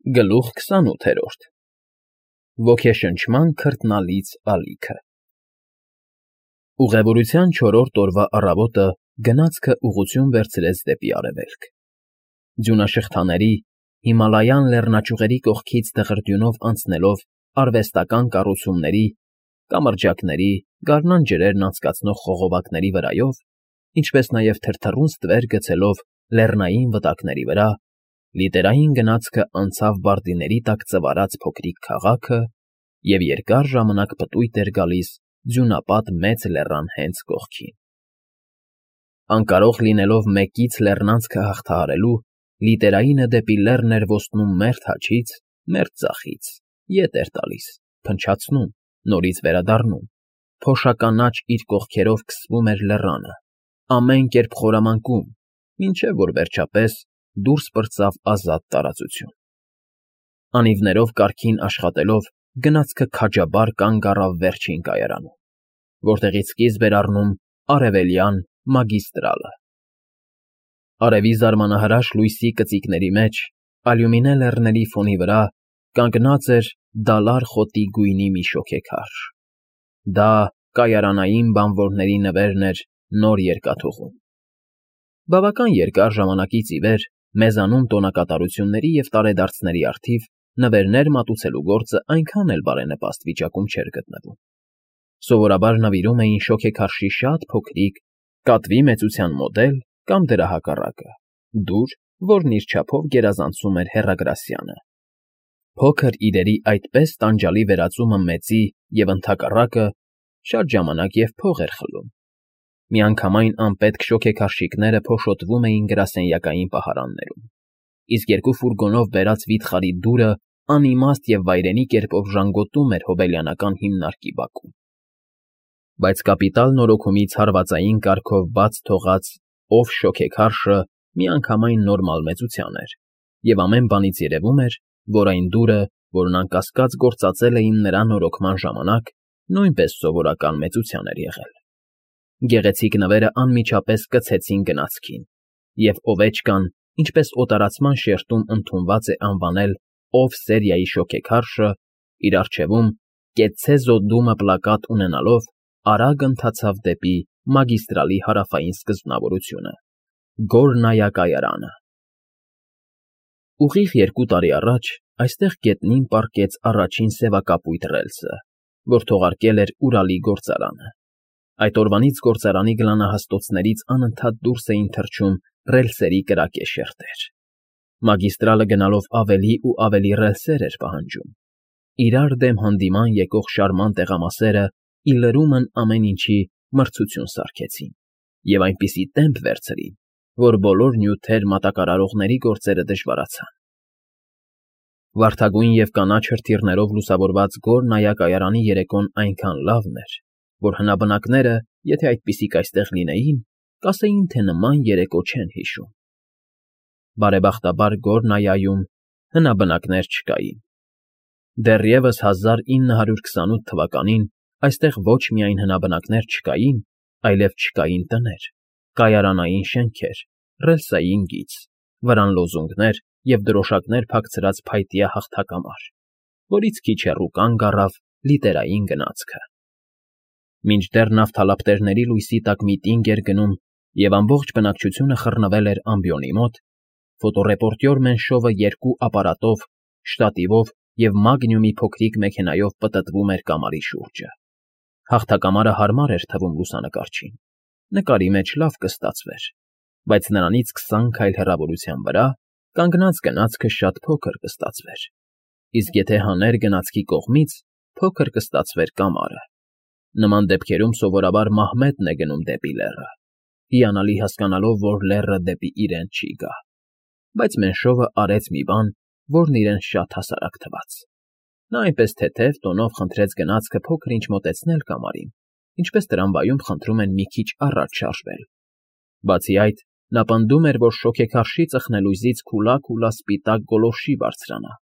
Գլուխ 28 Ոգեշնչման քրտնալից ալիքը Ուղևորության 4-րդ օրվա առավոտը գնացքը ուղղություն վերցրեց դեպի արևելք։ Ձյունաշղթաների, Հիմալայան լեռնաճյուղերի կողքից դղրդյունով անցնելով արվեստական կառուցումների, կամրջակների, գարնան ջրերն անցկացնող խողովակների վրայով, ինչպես նաև թրթռուն ստվեր գցելով լեռնային վտակների վրա, լիտերային գնացքը անցավ բարդիների տակ ծվարած փոքրիկ քաղաքը և երկար ժամանակ պտույտ էր գալիս ձյունապատ մեծ լեռան հենց կողքին։ Անկարող լինելով մեկից լեռնանցքը հաղթահարելու, լիտերայինը դեպի լեռն էր ոսնում մերթ հաչից, մերթ ձախից, ետ էր տալիս, փնչացնում, նորից վերադառնում, փոշականաչ իր կողքերով քսվում էր լեռանը, ամեն կերպ խորամանկում, մինչև որ վերջապես դուրս պրծավ ազատ տարածություն։ Անիվներով կարգին աշխատելով գնացքը քաջաբար կանգ առավ վերջին կայարանում, որտեղից սկիզբ էր առնում արևելյան մագիստրալը։ Արևի զարմանահրաշ լույսի կծիկների մեջ, ալյումինե լեռների ֆոնի վրա կանգնած էր դալար խոտի գույնի մի շոգեքարշ։ Դա կայարանային բանվորների նվերն էր նոր երկաթուղում։ Բավական երկար ժամանակից ի վեր մեզանում տոնակատարությունների և տարեդարձների առթիվ նվերներ մատուցելու գործը այնքան էլ բարենպաստ վիճակում չէր գտնվում։ Սովորաբար նվիրում էին շոգեքարշի շատ փոքրիկ, կատվի մեծության մոդել կամ դրա հակառակը, դուր, որն իր չափով գերազանցում էր հեռագրասյանը։ Փոքր իրերի այդպես տանջալի վերածումը մեծի և ընդհակառակը շատ ժամանակ և փող էր խլում։ Միանգամայն անպետք շոգեքարշիկները փոշոտվում էին գրասենյակային պահարաններում, իսկ երկու ֆուրգոնով բերած վիթխարի դուրը անիմաստ և վայրենի կերպով ժանգոտում էր հոբելյանական հիմնարկի բակում։ Բայց կապիտալ նորոգումից հարվածային կարգով բաց թողած ով շոգեքարշը միանգամայն նորմալ մեծության էր, և ամեն բանից երևում էր, որ այն դուրը, որն անկասկած գործածել էին նրա նորոգման ժամանակ, նույնպես սովորական մեծության էր եղել։ Գեղեցիկ նվերը անմիջապես կցեցին գնացքին, և Օվեչկան, ինչպես օտարացման շերտում ընդունված է անվանել «ով սերիայի շոգեքարշը», իր առջևում «կեցցե զոդդումը» պլակատ ունենալով, արագ ընթացավ դեպի մագիստրալի հարավային սկզբնավորությունը՝ Գորնայա կայարանը։ Ուղիղ 2 տարի առաջ այստեղ գետնին պառկեց առաջին սևակապույտ ռելսը, որ թողարկել էր Ուրալի գործարանը։ Այդ օրվանից գործարանի գլանահաստոցներից անընդհատ դուրս էին թռչում ռելսերի կրակե շերտեր։ Մագիստրալը գնալով ավելի ու ավելի ռելսեր էր պահանջում։ Իրար դեմ հանդիման եկող շարման տեղամասերը ի լրումն ամեն ինչի մրցություն սարքեցին և այնպիսի տեմպ վերցրին, որ բոլոր նյութեր մատակարարողների գործերը դժվարացան։ Վարդագույն և կանաչ հրթիռներով լուսավորված Գորնայա կայարանի երեկոն այնքան լավն էր, որ հնաբնակները, եթե այդպիսիք այստեղ լինեին, կասեին, թե նման երեկո չեն հիշում։ Բարեբախտաբար Գորնայայում հնաբնակներ չկային։ Դեռևս 1928 թվականին այստեղ ոչ միայն հնաբնակներ չկային, այլև չկային տներ, կայարանային շենքեր, ռելսային գիծ, վրան լոզունգներ և դրոշակներ փակցրած փայտյա հաղթակամար, որից քիչ հեռու կանգ առավ լիտերային գնացքը։ Մինչդեռ նավթալապտերների լույսի տակ միտինգ էր գնում և ամբողջ բնակչությունը խռնվել էր ամբիոնի մոտ, ֆոտոռեպորտյոր Մենշովը 2 ապարատով, շտատիվով և մագնիումի փոքրիկ մեքենայով պտտվում էր կամարի շուրջը։ Հաղթակամարը հարմար էր թվում լուսանկարչին, նկարի մեջ լավ կստացվեր, բայց նրանից 20 քայլ հեռավորության վրա կանգնած գնացքը շատ փոքր կստացվեր, իսկ եթե հաներ գնացքի կողմից, փոքր կստացվեր կամարը։ Նման դեպքերում սովորաբար Մահմեդն է գնում դեպի լեռը, հիանալի հասկանալով, որ լեռը դեպի իրեն չի գա։ Բայց Մենշովը արեց մի բան, որն իրեն շատ հասարակ թվաց։ Նա այնպես թեթև տոնով խնդրեց գնացքը փոքր-ինչ մոտեցնել կամարին, ինչպես տրամվայում խնդրում են մի քիչ առաջ շարժվել։ Բացի այդ, նա պնդում էր, որ շոգեքարշի ծխնելույզից քուլա սպիտակ գոլորշի բարձրանա։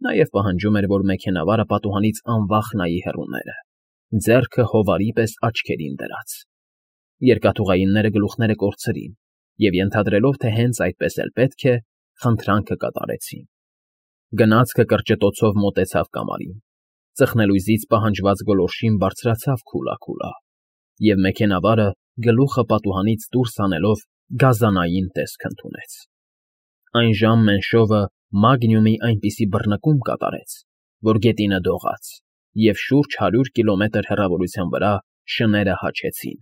Նաև պահանջում էր, որ մեքենավարը պատուհանից անվախ նայի հեռուները, ձեռքը հովարի պես աչքերին դրած։ Երկաթուղայինները գլուխները կորցրին և, ենթադրելով, թե հենց այդպես էլ պետք է, խնդրանքը կատարեցին։ Գնացքը կրճտոցով մոտեցավ կամարին, ծխնելույզից պահանջված գոլորշին բարձրացավ քուլա, և մեքենավարը գլուխը պատուհանից դուրս հանելով գազանային տեսք ընդունեց։ Այն ժամ Մենշովը մագնիումի այնպիսի բռնկում կատարեց, որ գետինը դողաց, և շուրջ 100 կիլոմետր հեռավորության վրա շները հաչեցին։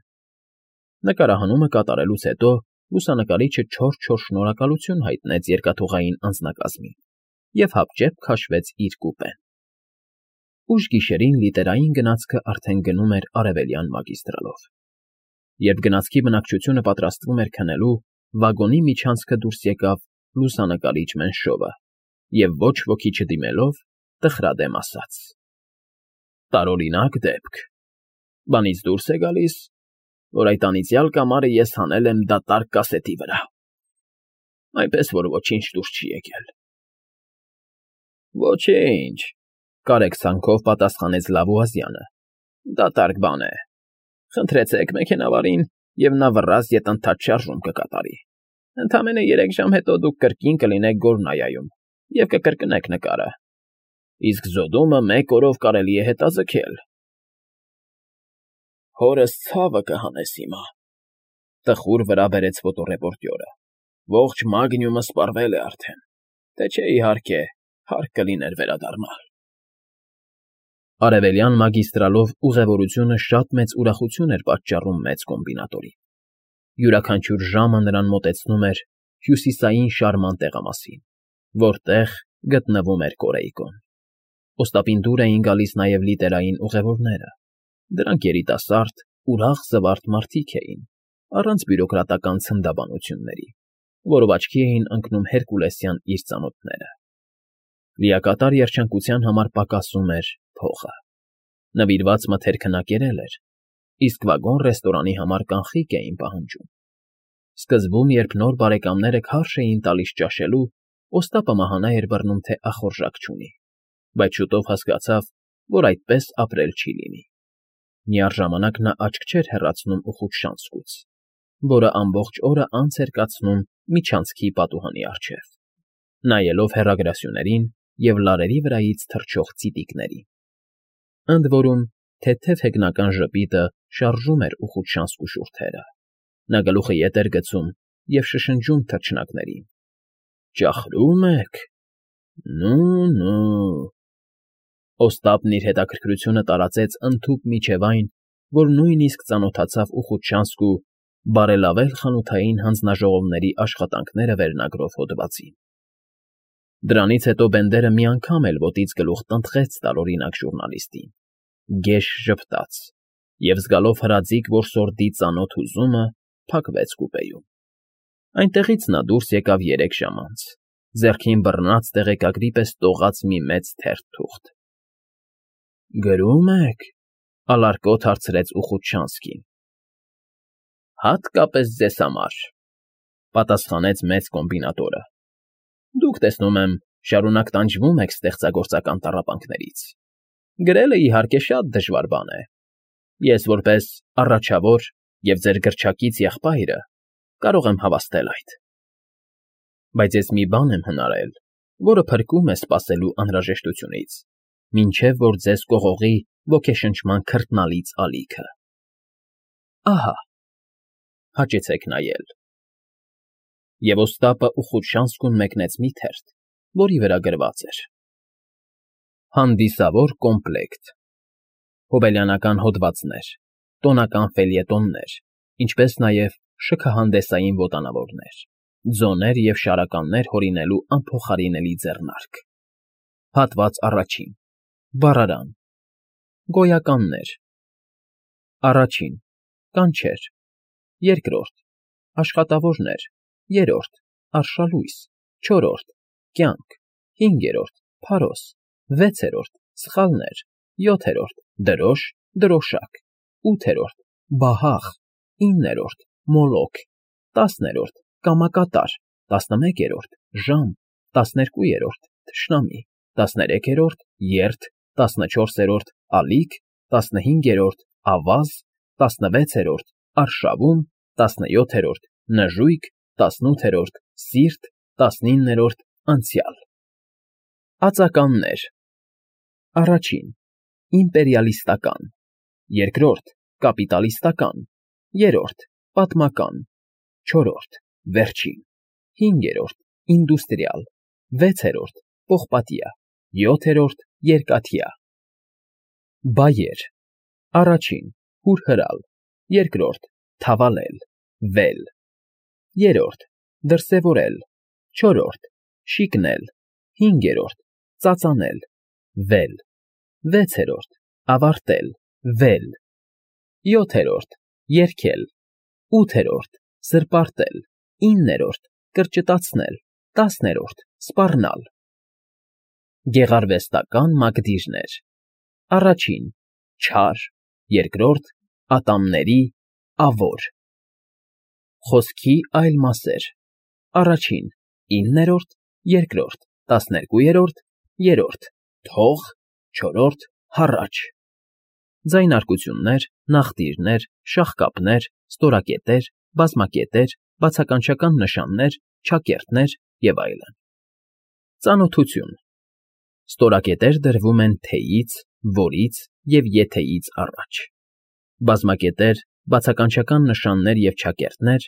Նկարահանումը կատարելուց հետո լուսանկարիչը չոր շնորհակալություն հայտնեց երկաթուղային անձնակազմին և հապճեպ քաշվեց իր կուպեն։ Ուշ գիշերին լիտերային գնացքը արդեն գնում էր արևելյան մագիստրալով։ Երբ գնացքի բնակչությունը պատրաստվում էր քնելու, վագոնի միջանցքը դուրս եկավ լուսանկարիչ Մենշովը և ոչ ոքի չդիմելով տխրադեմ ասաց. «Տարօրինակ դեպք։ Բանից դուրս է գալիս, որ այդ անիծյալ կամարը ես հանել եմ դատարկ կասետի վրա, այնպես որ ոչինչ դուրս չի եկել»։ «Ոչինչ,֊ կարեկցանքով պատասխանեց Լավուազյանը,֊ դատարկ բան է։ Խնդրեցեք մեքենավարին, և նա վռազդ ետընթաց շարժում կկատարի։ Ընդամենը 3 ժամ հետո դուք կրկին կլինեք Գոլնայայում և կկրկնեք նկարը, իսկ զոդումը 1 օրով կարելի է հետաձգել»։ «Հորս ցավը կհանես հիմա,֊ տխուր վրա բերեց ֆոտոռեպորտյորը,֊ ողջ մագնիումը սպառվել է արդեն, թե չէ, իհարկե, հարկ կլիներ վերադառնալ»։ Արևելյան մագիստրալով ուղևորությունը շատ մեծ ուրախություն էր պատճառում մեծ կոմբինատորին։ Յուրաքանչյուր ժամը նրան մոտեցնում էր հյուսիսային շարման տեղամասին, որտեղ գտնվում էր Կորեյկոն։ Օստապին դուր էին գալիս նաև լիտերային ուղևորները։ Դրանք երիտասարդ, ուրախ զվարթ մարդիկ էին, առանց բյուրոկրատական ցնդաբանությունների, որով աչքի էին ընկնում հերկուլեսյան իր ծանոթները։ Լիակատար երջանկության համար պակասում էր փողը։ Նվիրված մթերքը կերել էր, իսկ վագոն֊ռեստորանի համար կանխիկ էին պահանջում։ Սկզբում, երբ նոր բարեկամները քարշ էին տալիս ճաշելու, Օստապը մահանա էր բռնում, թե ախորժակ չունի, բայց շուտով հասկացավ, որ այդպես ապրել չի լինի։ Միառժամանակ նա աչք չէր հեռացնում Ուխուտշանսկուց, որը ամբողջ օրը անց էր կացնում միջանցքի պատուհանի առջև, նայելով հեռագրասյուներին և լարերի վրայից թռչող ծիտիկներին։ Ընդ որում, թեթև հեգնական ժպիտը շարժում էր Ուխուտշանսկու շուրթերը։ Նա գլուխը ետ էր գցում և շշնջում թռչնակներին. «Ճախրո՞ւմ եք։ Նու։ Օստապն իր հետաքրքրությունը տարածեց ընդհուպ մինչև այն, որ նույնիսկ ծանոթացավ Ուխուտշանսկու բարելավել խանութային հանձնաժողովների աշխատանքները վերնագրով հոդվածին։ Դրանից հետո Բենդերը մի անգամ էլ ոտից գլուխ տնտղեց տարօրինակ ժուրնալիստին, գեշ ժպտաց և, զգալով հրաձիգ որսորդի ծանոթ հուզումը, փակվեց կուպեում։ Այնտեղից նա դուրս եկավ 3 ժամ անց, ձեռքին բռնած տեղեկագրի պես տողած մի մեծ թերթ թուղթ։ «Գրո՞ւմ եք,֊ ալարկոտ հարցրեց Ուխուտշանսկին։ «Հատկապես ձեզ համար,֊ պատասխանեց մեծ կոմբինատորը։ Դուք, տեսնում եմ, շարունակ տանջվում եք ստեղծագործական տառապանքներից։ Գրելը, իհարկե, շատ դժվար բան է։ Ես որպես առաջավոր և ձեր գրչակից եղբայրը կարող եմ հավաստել այդ։ Բայց ես մի բան եմ հնարել, որը փրկում է սպասելու անհրաժեշտությունից, մինչև որ ձեզ կողողի ոգեշնչման քրտնալից ալիքը։ Ահա, հաճեցեք նայել»։ Եվ Օստապը Ուխուտշանսկուն մեկնեց մի թերթ, որի վրա գրված էր. «Հանդիսավոր կոմպլեկտ. հոբելյանական հոդվածներ, տոնական ֆելյետոններ, ինչպես նաև շքահանդեսային ոտանավորներ, ձոներ և շարականներ հորինելու անփոխարինելի ձեռնարկ։ Հատված առաջին. Բառարան. Գոյականներ. Առաջին. Կանչեր. Երկրորդ. Աշխատավորներ. Երրորդ. Արշալույս. Չորրորդ. Կյանք. Հինգերորդ. Փարոս. Վեցերորդ. Սխալներ. Յոթերորդ. Դրոշ. Դրոշակ. Ութերորդ. Բահաղ. 9-րդ. Մոլոք. 10-րդ. Կամակատար. 11-րդ. Ժամ. 12-րդ. Թշնամի. 13-րդ. Երթ. 14-րդ. Ալիք. 15-րդ. Ավազ. 16-րդ. Արշավում. 17-րդ. Նժույգ. 18-րդ. Սիրտ. 19-րդ. Անցյալ»։ Ածականներ. Առաջին՝ իմպերիալիստական, երկրորդ՝ կապիտալիստական, երրորդ՝ պատմական, չորրորդ՝ վերջին, հինգերորդ՝ ինդուստրիալ, վեցերորդ՝ պողպատյա, յոթերորդ՝ երկաթյա։ Բայեր. Առաջին՝ հուրհրալ, երկրորդ՝ թավալել, վել, երրորդ՝ դրսևորել, չորրորդ՝ շիկնել, հինգերորդ՝ ծածանել, վել, վեցերորդ՝ ավարտել, վել, յոթերորդ՝ երգել, ութերորդ՝ զրպարտել, իններորդ՝ կրճտացնել, տասներորդ՝ սպառնալ։ Գեղարվեստական մակդիրներ. Առաջին՝ չար, երկրորդ՝ ատամների, ավոր։ Խոսքի այլ մասեր. Առաջին՝ իններորդ, երկրորդ՝ տասներկույերորդ, երրորդ՝ թող, չորրորդ՝ հառաչ։ Ձայնարկություններ, նախտիրներ, շաղկապներ, ստորակետեր, բազմակետեր, բացականչական նշաններ, չակերտներ և այլն։ Ծանոթություն. Ստորակետեր դրվում են թեյից, որից և եթեից առաջ։ Բազմակետեր, բացականչական նշաններ և չակերտներ,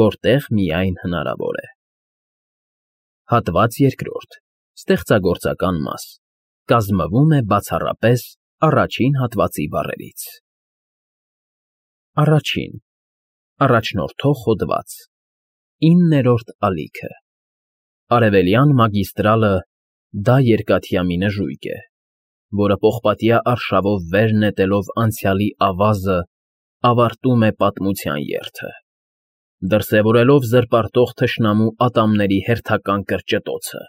որտեղ միայն հնարավոր է։ Հատված երկրորդ. Ստեղծագործական մաս. կազմվում է բացառապես առաջին հատվածի բառերից։ Առաջին. առաջնորդող հոդված, 9-րդ ալիքը։ Արևելյան մագիստրալը դա երկաթյա մի նժույգ է, որը պողպատյա արշավով վեր նետելով անցյալի ավազը, ավարտում է պատմության երթը, դրսևորելով զրպարտող թշնամու ատամների հերթական կրճտոցը,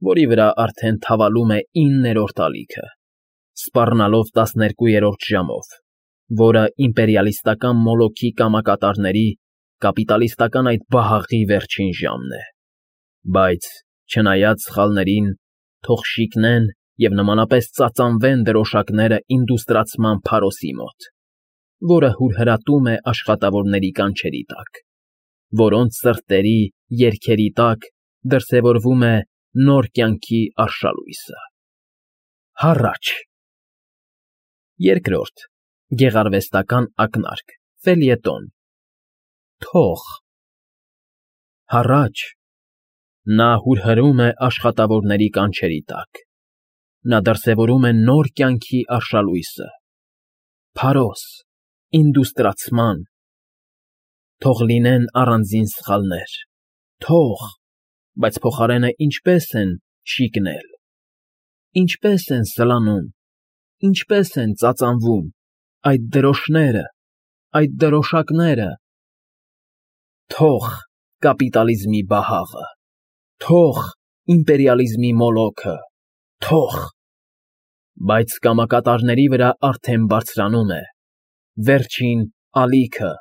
որի վրա արդեն թավալում է 9-րդ ալիքը, սպառնալով 12-րդ ժամով, որը իմպերիալիստական մոլոքի կամակատարների, կապիտալիստական այդ բահաղի վերջին ժամն է, բայց, չնայած սխալներին, թող շիկնեն և նմանապես ծածանվեն դրոշակները ինդուստրացման փարոսի մոտ, որը հուրհրատում է աշխատավորների կանչերի տակ, որոնց սրտերի, երգերի տակ դրսևորվում է նոր կյանքի արշալույսը։ Հառաչ։ Երկրորդ՝ գեղարվեստական ակնարկ, ֆելյետոն, թող։ Հառաչ։ Նա հուրհրում է աշխատավորների կանչերի տակ, նա դրսևորում է նոր կյանքի արշալույսը, փարոս, ինդուստրացման։ Թող լինեն առանձին սխալներ, թող, բայց փոխարենը ինչպե՞ս են շիկնել, ինչպե՞ս են սլանում, ինչպե՞ս են ծածանվում այդ դրոշները, այդ դրոշակները։ Թող կապիտալիզմի բահաղը, թող իմպերիալիզմի մոլոքը, թող։ Բայց կամակատարների վրա արդեն բարձրանում է վերջին ալիքը,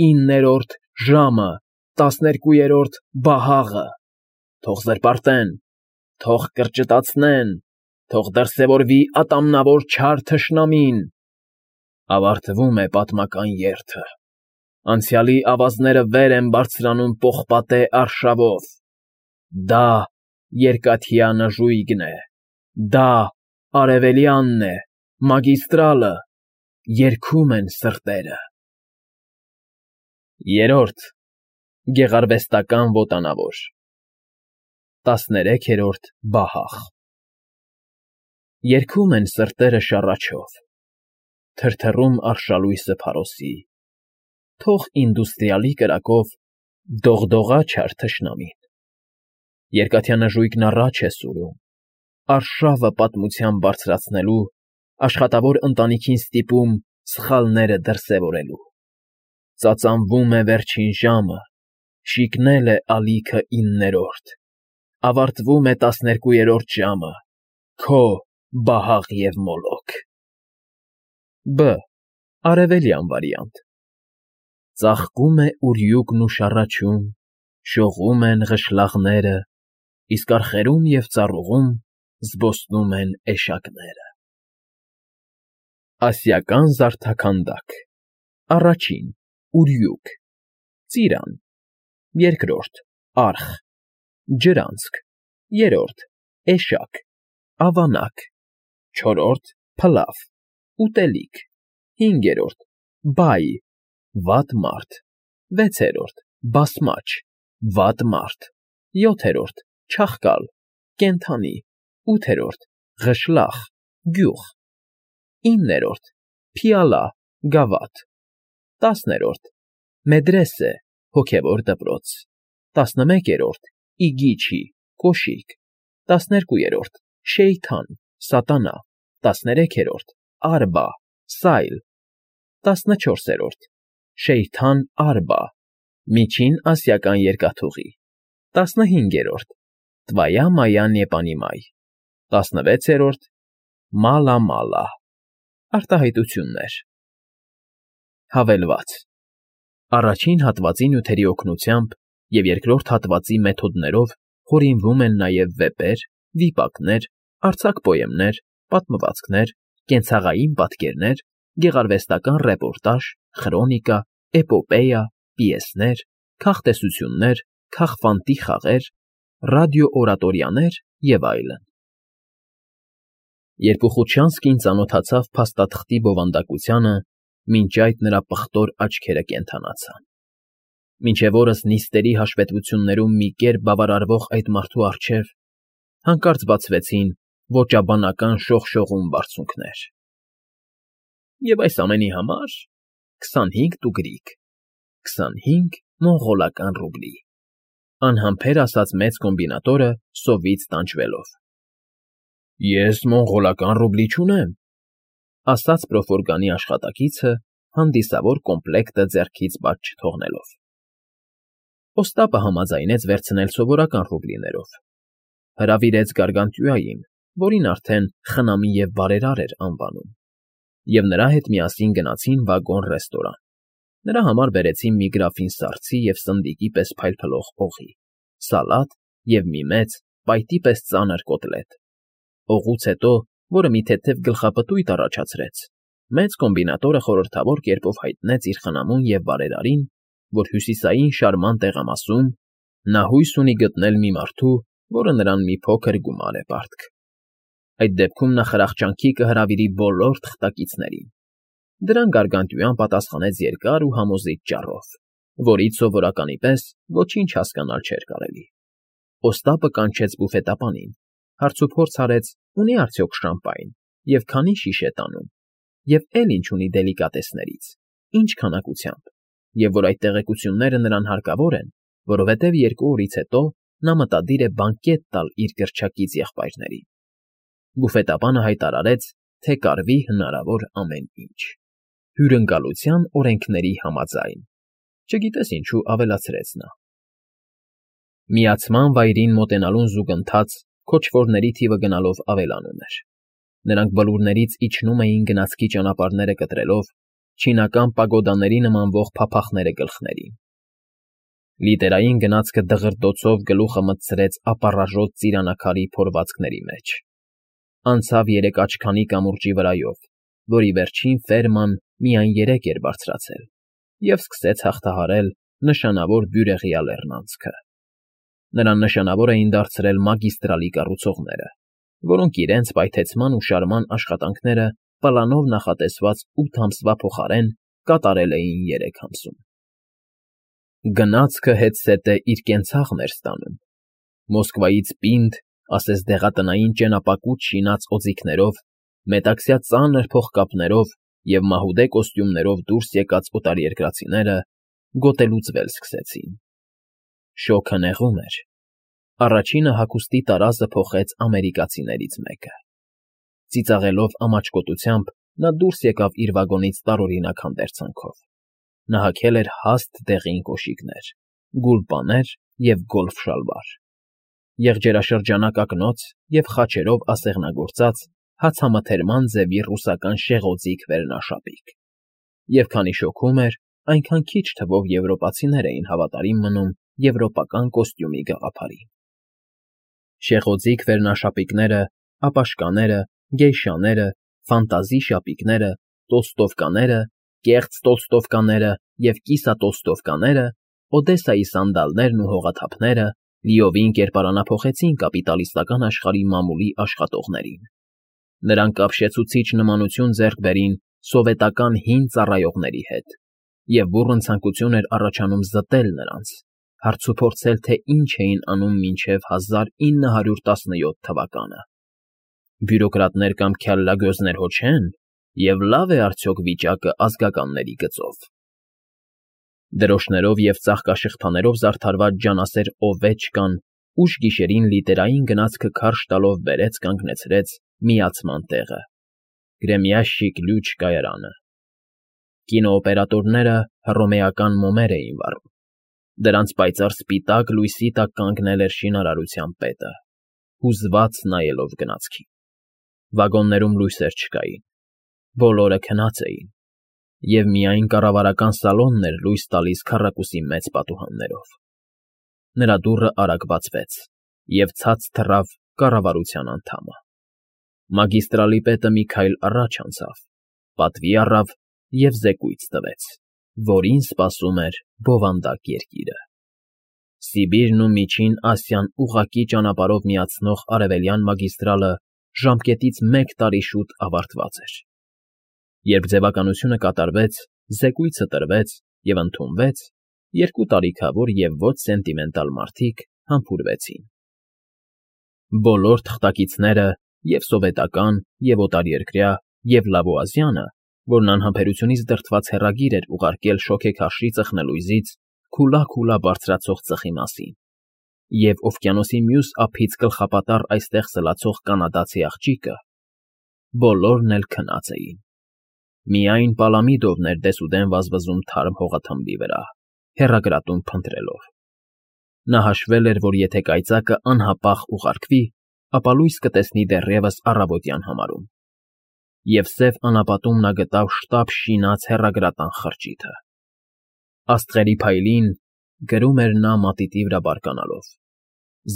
9-րդ ժամը, 12-րդ բահաղը, թող զրպարտեն, թող կրճտացնեն, թող դրսևորվի ատամնավոր չար թշնամին։ Ավարտվում է պատմական երթը, անցյալի ավազները վեր են բարձրանում պողպատե արշավով, դա երկաթյա նժույգն է, դա արևելյանն է, մագիստրալը, երգում են սրտերը։ Երրորդ՝ գեղարվեստական ոտանավոր, 13-րդ բահաղ։ Երգում են սրտերը շառաչով, թրթռում արշալույսը փարոսի, թող ինդուստրիալի կրակով դողդողա չար թշնամին։ Երկաթյա նժույգն առաջ է սուրում, արշավը պատմության բարձրացնելու, աշխատավոր ընտանիքին ստիպում սխալները դրսևորելու։ Ծածանվում է վերջին ժամը, շիկնել է ալիքը 9-րդ, ավարտվում է 12-րդ ժամը, քո բահաղ և մոլոք։ Բ. Արևելյան վարիանտ. Ծաղկում է ուրյուկն ու շառաչում, շողում են ղշլաղները, իսկ արխերում և ծառուղում զբոսնում են էշակները։ Ասիական զարդաքանդակ. Առաջին՝ ուրյուկ, ծիրան, երկրորդ՝ արխ, ջրանցք, երրորդ՝ էշակ, ավանակ, 4. փլավ, ուտելիք, 5. բայ, վատ մարդ, 6. բասմաչ, վատ մարդ, 7. չախկալ, կենդանի, 8. ղշլախ, գյուղ, 9. փիալա, գավաթ, 10. մեդրեսե, հոգևոր դպրոց, 11. իգիչի, կոշիկ, 12. շեյթան, սատանա, 13. արբա, սայլ, 14. շեյթան արբա, միջին ասիական երկաթուղի, 15. տվայա մայա նեպանիմայ, 16. մալա մալա, արտահայտություններ։ Հավելված. Առաջին հատվածի նյութերի օգնությամբ և երկրորդ հատվածի մեթոդներով հորինվում են նաև վեպեր, վիպակներ, արձակ պոեմներ, պատմվածքներ, կենցաղային պատկերներ, գեղարվեստական ռեպորտաժ, խրոնիկա, էպոպեյա, պիեսներ, քաղտեսություններ, քաղֆանտի խաղեր, ռադիոօրատորյաներ և այլն։ Երբ Ուխուչյանսկին ծանոթացավ փաստաթղթի բովանդակությանը, մինչ այդ նրա պղտոր աչքերը կենդանացան։ Մինչև օրս նիստերի հաշվետվություններում մի կերպ բավարարվող այդ մարդու առջև հանկարծ բացվեցին ոճաբանական շողշողուն բարձունքներ։ Եվ այս ամենի համար 25 տուգրիկ, 25 մոնղոլական ռուբլի, անհամբեր ասաց մեծ կոմբինատորը սովից տանջվելով։ Ես մոնղոլական ռուբլի չունեմ, ասաց Պրոֆորգանի աշխատակիցը, հանդիսավոր կոմպլեկտը ձեռքից բաց չթողնելով։ Օստապը համաձայնեց վերցնել սովորական ռուբլիներով, հրավիրեց Գարգանտյուային, որին արդեն խնամի և բարերար էր անվանում, և նրա հետ միասին գնացին վագոն֊ռեստորան։ Նրա համար բերեցին մի գրաֆին սարցի և սնդիկի պես փայլփլող օղի, սալատ և մի մեծ, պայտի պես ծանր կոտլետ։ Օղուց հետո, որը մի թեթև գլխապտույտ առաջացրեց, մեծ կոմբինատորը խորհրդավոր կերպով հայտնեց իր խնամուն և բարերարին, որ հյուսիսային շարման տեղամասում նա հույս ունի գտնել մի մարդու, որը նրան մի փոքր գումար է պարտք։ Այդ դեպքում նա խրախճանքի կհրավիրի բոլոր թղթակիցներին։ Դրան Գարգանտյուան պատասխանեց երկար ու համոզիչ ճառով, որից սովորականի պես ոչինչ հասկանալ չէր կարելի։ Օստապը կանչեց բուֆետապանին, հարցուփորձ արեց, ունի արդյոք շամպայն, և քանի շիշ է տանում, և էլ ինչ ունի դելիկատեսներից, ինչ քանակությամբ, և որ այդ տեղեկությունները նրան հարկավոր են, որովհետև 2 օրից հետո նա մտադիր է բանկետ տալ իր գրչակից եղբայրներին։ Բուֆետապանը հայտարարեց, թե կարվի հնարավոր ամեն ինչ, հյուրընկալության օրենքների համաձայն, չգիտես ինչու ավելացրեց նա։ Միացման վայրին մոտենալուն զուգընթաց քոչվորների թիվը գնալով ավելանում էր։ Նրանք բլուրներից իջնում էին գնացքի ճանապարհները կտրելով, չինական պագոդաների նմանվող փափախները գլխներին։ Լիտերային գնացքը դղրդոցով գլուխը մտցրեց ապառաժոտ ծիրանակարի փորվածքների մեջ։ Անցավ 3 աչքանի կամուրջի վրայով, որի վերջին ֆերման միայն 3 էր բարձրացել, և սկսեց հաղթահարել նշանավոր բյուրեղյա լեռնանցքը։ Նրան նշանավոր էին դարձրել մագիստրալի կառուցողները, որոնք իրենց պայթեցման ու շարման աշխատանքները պլանով նախատեսված 8 ամսվա փոխարեն կատարել էին 3 ամսում։ Գնացքը հետզհետե իր կենցաղն էր ստանում։ Մոսկվայից պինդ, ասես դեղատնային ճենապակուց շինած օձիքներով, մետաքսյա ծանր փողկապներով և մահուդե կոստյումներով դուրս եկած օտարերկրացիները գոտելուծվել սկսեցին։ Շոգը նեղում էր։ Առաջինը հագուստի տարազը փոխեց ամերիկացիներից մեկը։ Ծիծաղելով ամաչկոտությամբ նա դուրս եկավ իր վագոնից տարօրինակ հանդերձանքով։ Նա հագել էր հաստ դեղին կոշիկներ, գուլպաներ և գոլֆ շալվար, եղջերաշրջանակ ակնոց և խաչերով ասեղնագործած հացամթերման ձևի ռուսական շեղոձիկ վերնաշապիկ։ Եվ քանի շոգում էր, այնքան քիչ թվով եվրոպացիներ էին հավատարիմ մնում եվրոպական կոստյումի գաղափարին։ Շեղոձիկ վերնաշապիկները, ապաշկաները, գեյշաները, ֆանտազի շապիկները, տոլստովկաները, կեղծ տոլստովկաները և կիսատոլստովկաները, Օդեսայի սանդալներն ու հողաթափները, Լիովին կերպարանափոխեցին կապիտալիստական աշխարհի մամուլի աշխատողներին։ Նրանք ապշեցուցիչ նմանություն ձեռք բերին սովետական հին ծառայողների հետ, և բուռն ցանկություն էր առաջանում զտել նրանց, հարցուփորձել, թե ինչ էին անում մինչև 1917 թվականը։ Բյուրոկրատներ կամ քյալլագոզներ հո չեն, և լավ է արդյոք վիճակը ազգականների գծով։ Դրոշներով և ծաղկաշղթաներով զարդարված ջանասեր Օվեչկան ուշ գիշերին լիտերային գնացքը քարշ տալով բերեց կանգնեցրեց միացման տեղը՝ Գրեմյաշիկ Լյուչ կայարանը։ Կինոօպերատորները հռոմեական մոմեր էին վառում։ Դրանց պայծառ սպիտակ լույսի տակ կանգնել էր շինարարության պետը, հուզված նայելով գնացքին։ Վագոններում լույսեր չկային, բոլորը քնած էին, և միայն կառավարական սալոնն էր լույս տալիս քառակուսի մեծ պատուհաններով։ Նրա դուռը արագ բացվեց, և ցած թռավ կառավարության անդամը։ Մագիստրալի պետը մի քայլ առաջ անցավ, պատվի առավ և զեկույց տվեց, որին սպասում էր բովանդակ երկիրը։ Սիբիրն ու Միջին Ասիան ուղղակի ճանապարհով միացնող արևելյան մագիստրալը ժամկետից մեկ տարի շուտ ավարտված էր։ Երբ ձևականությունը կատարվեց, զեկույցը տրվեց և ընդունվեց, երկու տարիքավոր և ոչ սենտիմենտալ մարդիկ համբուրվեցին։ Բոլոր թղթակիցները, և՛ սովետական, և՛ օտարերկրյա, և՛ Լավուազյանը, որն անհամբերությունից դրդված հեռագիր էր ուղարկել շոգեքարշի ծխնելույզից քուլա բարձրացող ծխի մասին, և օվկիանոսի մյուս ափից գլխապատառ այստեղ սլացող կանադացի աղջիկը, բոլորն էլ քնած էին։ Միայն Պալամիդովն էր դեսուդեն վազվզում թարմ հողաթմբի վրա, հեռագրատուն փնտրելով։ Նա հաշվել էր, որ եթե կայծակը անհապաղ ուղարկվի, ապա լույս կտեսնի դեռևս առավոտյան համարում։ Եվ սև անապատում նա գտավ շտապ շինած հեռագրատան խրճիթը։ Աստղերի փայլին, գրում էր նա մատիտի վրա բարկանալով,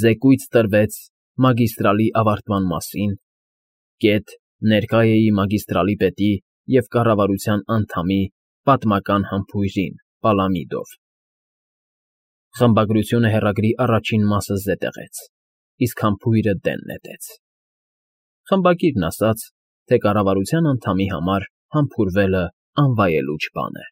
զեկույց տրվեց մագիստրալի ավարտման մասին, ներկա էի մագիստրալի պետի և կառավարության անդամի պատմական համբույրին Պալամիդով։ Խմբագրությունը հեռագրի առաջին մասը զետեղեց, իսկ համբույրը դեն նետեց։ Խմբագիրն ասաց, թե կառավարության անդամի համար համբուրվելը անվայելուչ բան է։